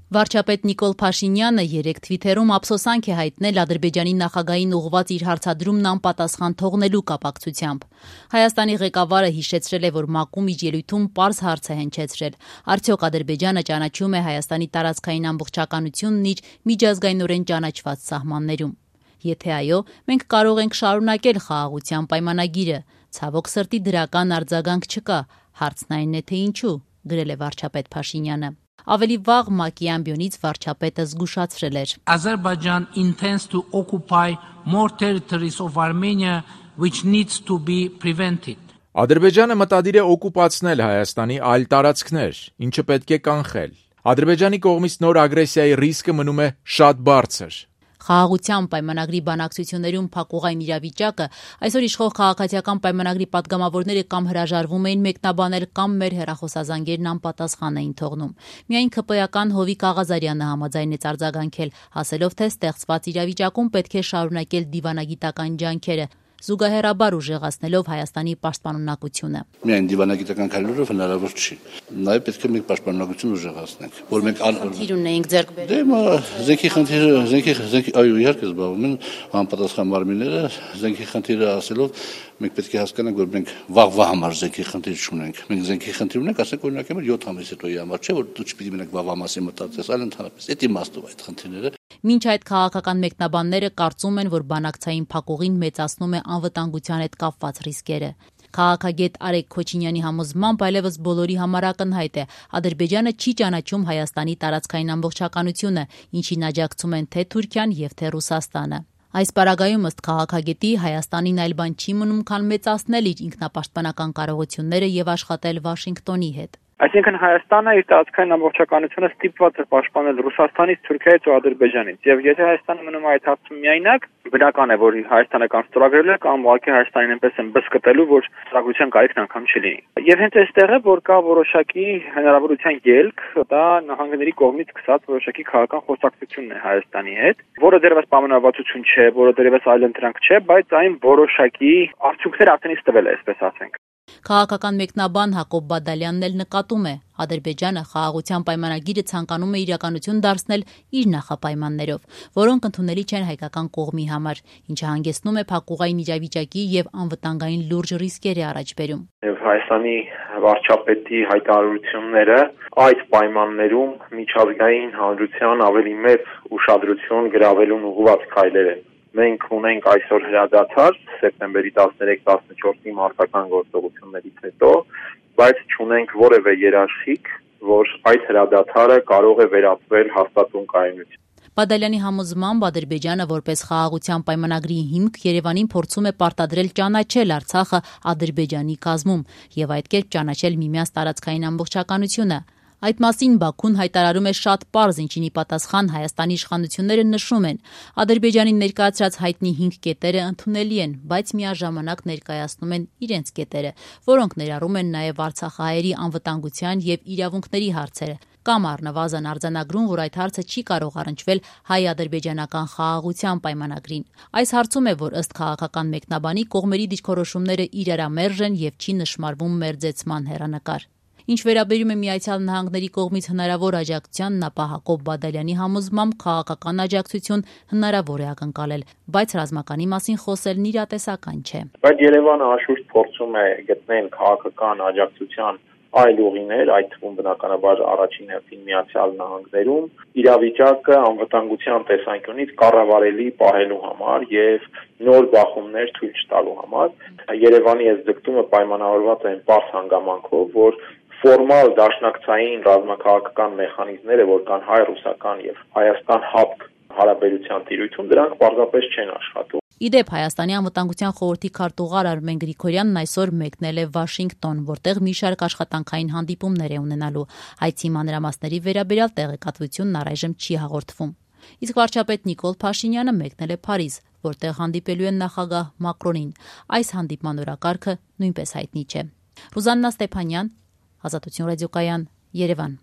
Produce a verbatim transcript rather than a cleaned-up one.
Վարչապետ Նիկոլ Փաշինյանը երեկ թվիթերում ափսոսանք է հայտնել Ադրբեջանի նախագահին ուղղված իր հարցադրումն անպատասխան թողնելու կապակցությամբ։ Հայաստանի ղեկավարը հիշեցրել է, որ ՄԱԿ-ում իր ելույթում պարզ հարց է հնչեցրել. արդյոք Ադրբեջանը ճանաչում է Հայաստանի տարածքային ամբողջականությունն իր միջազգայինորեն ճանաչված սահմաններում։ Եթե այո, մենք կարող ենք շարունակել խաղաղության պայմանագիրը։ Ցավոք սրտի դրական արձագանք չկա։ Հարցն այն է, թե ինչու, գրել է վարչապետ Փաշինյանը։ Ավելի վաղ ՄԱԿ-ի ամբիոնից վարչապետը զգուշացրել էր. Azerbaijan intends to occupy more territories of Armenia which needs to be prevented. Ադրբեջանը մտադիր է օկուպացնել Հայաստանի այլ տարածքներ, ինչը պետք է կանխել։ Ադրբեջանի կողմից նոր ագրեսիայի ռիսկը մնում է շատ բարձր։ Խաղաղության պայմանագրի բանակցություններում փակուղային իրավիճակը այսօր իշխող քաղաքացիական պայմանագրի պատգամավորները կամ հրաժարվում էին մեկնաբանել կամ մեր հեռախոսազանգերն անպատասխան էին թողնում։ Միայն ՔՊ-ական Հովիկ Աղազարյանը համաձայնեց արձագանքել, ասելով, թե ստեղծված իրավիճակում պետք է շարունակել դիվանագիտական ջանքերը, զուգահեռաբար ուժեղացնելով Հայաստանի պաշտպանունակությունը։ Միայն դիվանագիտական քայլերով հնարավոր չի։ Նաև պետք է մենք պաշտպանունակություն ուժեղացնենք, որ մենք խնդիր ունեինք ձեռք բերել։ Դե զենքի խնդիրը, զենքի զենքի այո, իհարկե զբաղվում են անպատասխան մարմինները, զենքի խնդիրը ասելով մենք պետք է հասկանանք, որ մենք վաղվա համար զենքի խնդիր չունենք։ Մենք զենքի խնդիր ունենք, ասենք օրինակ եմ յոթ ամիս հետոյի համար, չէ՞ որ դու չպիտի մենակ վաղվա մասի մտածես, այլ ընդհանրապես։ Այդ իմաստով այդ խնդիրները։ Մինչ այդ քաղաքական մեկնաբանները կարծում են, որ բանակցային փակուղին մեծացնում է անվտանգության հետ կապված ռիսկերը։ Քաղաքագետ Արեգ Քոչինյանի համոզմամբ այլևս բոլորի համար ակնհայտ է. Ադրբեջանը չի ճանաչում Հայաստանի տարածքային ամբողջականությունը, ինչին աջակցում են թե Թուրքիան եւ թե Ռուսաստանը։ Այս պարագայում ըստ քաղաքագետի Հայաստանին այլ բան չի մնում, քան մեծացնել իր ինքնապաշտպանական կարողությունները եւ աշխատել Վաշինգտոնի հետ։ Այսինքն Հայաստանը իր տարածքային ամբողջականությունը ստիպված է պաշտպանել Ռուսաստանից, Թուրքիայից ու Ադրբեջանից։ Եվ եթե Հայաստանը մնում է այդ հարցում միայնակ, բնական է, որ Հայաստանը կամ ստորագրել է, կամ ուղղակի Հայաստանին այնպես են բսկտելու, որ ստորագրության կարիքն անգամ չլինի։ Եվ հենց այստեղ է, որ կա որոշակի հնարավորության ելք, դա նահանգների կողմից սկսած որոշակի քաղաքական խոսակցությունն է Հայաստանի հետ, որը դեռևս պայմանավորվածություն չէ, որը դեռևս այլընտրանք չէ, բայց այն որոշակի արդյունքներ արդեն իսկ տվել է, այսպես ասենք։ Քաղաքական մեկնաբան Հակոբ Բադալյանն էլ նկատում է. Ադրբեջանը խաղաղության պայմանագիրը ցանկանում է իրականություն դարձնել իր նախապայմաններով, որոնք ընդունելի չեն հայկական կողմի համար, ինչը հանգեցնում է փակուղային իրավիճակի եւ անվտանգային լուրջ ռիսկերի առաջ բերում։ Եվ Հայաստանի վարչապետի հայտարարությունները այդ պայմաններում միջազգային հանրության ավելի մեծ ուշադրություն գրավելուն ուղղված քայլեր են։ Մենք ունենք այսօր հրադադար սեպտեմբերի տասներեք տասնչորսի մարտական գործողություններից հետո, բայց չունենք որևէ երաշխիք, որ այդ հրադադարը կարող է վերածվել հաստատուն կայունություն։ Բադալյանի համոզմամբ Ադրբեջանը որպես խաղաղության պայմանագրի հիմք Երևանին փորձում է պարտադրել ճանաչել Արցախը Ադրբեջանի կազմում եւ այդ կերպ ճանաչել միմյանց տարածքային ամբողջականությունը։ Այդ մասին Բաքուն հայտարարում է շատ պարզ, ինչին ի պատասխան Հայաստանի իշխանությունները նշում են. Ադրբեջանի ներկայացրած հայտնի հինգ կետերը ընդունելի են, բայց միաժամանակ ներկայացնում են իրենց կետերը, որոնք ներառում են նաև արցախահայերի անվտանգության եւ իրավունքների հարցերը, կամ առնվազն արձանագրում, որ այդ հարցը չի կարող առնչվել հայ-ադրբեջանական խաղաղության պայմանագրին։ Այս հարցում է, որ ըստ քաղաքական մեկնաբանի կողմերի դիրքորոշումները իրարամերժ են եւ չի նշмарվում մերձեցման հեռանկար։ Ինչ վերաբերում է Միացյալ Նահանգների կողմից հնարավոր աջակցությանն, ապա Հակոբ Բադալյանի համոզմամբ քաղաքական աջակցություն հնարավոր է ակնկալել, բայց ռազմականի մասին խոսելն իրատեսական չէ։ Բայց Երևանը անշուշտ փորձում է գտնել քաղաքական աջակցության այլ ուղիներ, այդ թվում բնականաբար առաջին հերթին Միացյալ Նահանգներում, իրավիճակը անվտանգության տեսանկյունից կառավարելի պահելու համար եւ նոր բախումներ թույլ չտալու համար։ Երևանի այս ձգտումը պայմանավորված է այն պարզ հանգամանքով, որ ֆորմալ դաշնակցային ռազմաքաղաքական մեխանիզմները, որ կան հայ-ռուսական եւ Հայաստան-հապկ հարաբերության տիրույթում, դրանք պարզապես չեն աշխատում։ Իդեպ Հայաստանի անվտանգության խորհրդի քարտուղար Արմեն Գրիգորյանն այսօր մեկնել է Վաշինգտոն, որտեղ մի շարք աշխատանքային հանդիպումներ է ունենալու։ Այցի մանրամասների վերաբերյալ տեղեկատվությունն առայժմ չի հաղորդվում։ Իսկ վարչապետ Նիկոլ Փաշինյանը մեկնել է Փարիզ, որտեղ հանդիպելու են նախագահ Մակրոնին։ Այս հանդիպման օրակարգը նույնպես հայտնի չէ։ Ռուզաննա Ստեփանյան, Ազատություն ռադիոկայան, Երևան։